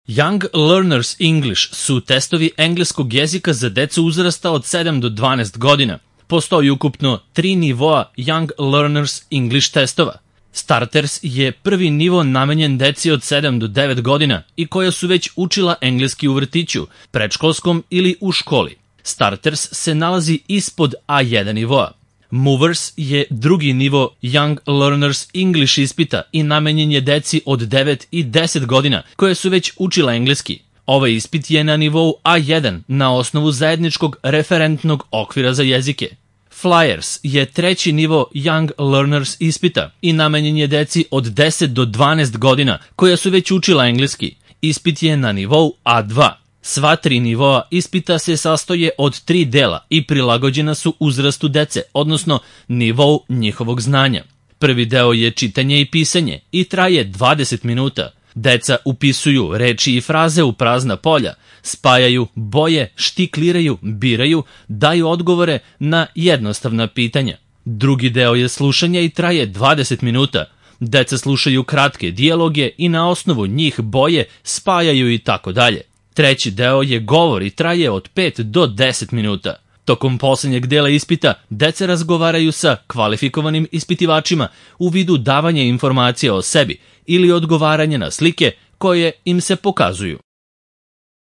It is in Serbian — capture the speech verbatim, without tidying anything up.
Young Learners English su testovi engleskog jezika za decu uzrasta od sedam do dvanaest godina. Postoji ukupno tri nivoa Young Learners English testova. Starters je prvi nivo namenjen deci od sedam do devet godina i koja su već učila engleski u vrtiću, predškolskom ili u školi. Starters se nalazi ispod A jedan nivoa. Movers je drugi nivo Young Learners English ispita i namenjen je deci od devet i deset godina koje su već učila engleski. Ovaj ispit je na nivou A jedan na osnovu zajedničkog referentnog okvira za jezike. Flyers je treći nivo Young Learners ispita i namenjen je deci od deset do dvanaest godina koja su već učila engleski. Ispit je na nivou A dva. Sva tri nivoa ispita se sastoje od tri dela i prilagođena su uzrastu dece, odnosno nivou njihovog znanja. Prvi deo je čitanje i pisanje i traje dvadeset minuta. Deca upisuju reči i fraze u prazna polja, spajaju boje, štikliraju, biraju, daju odgovore na jednostavna pitanja. Drugi deo je slušanje i traje dvadeset minuta. Deca slušaju kratke dijaloge i na osnovu njih boje, spajaju i tako dalje. Treći deo je govor i traje od pet do deset minuta. Tokom poslednjeg dela ispita, deca razgovaraju sa kvalifikovanim ispitivačima u vidu davanja informacija o sebi ili odgovaranja na slike koje im se pokazuju.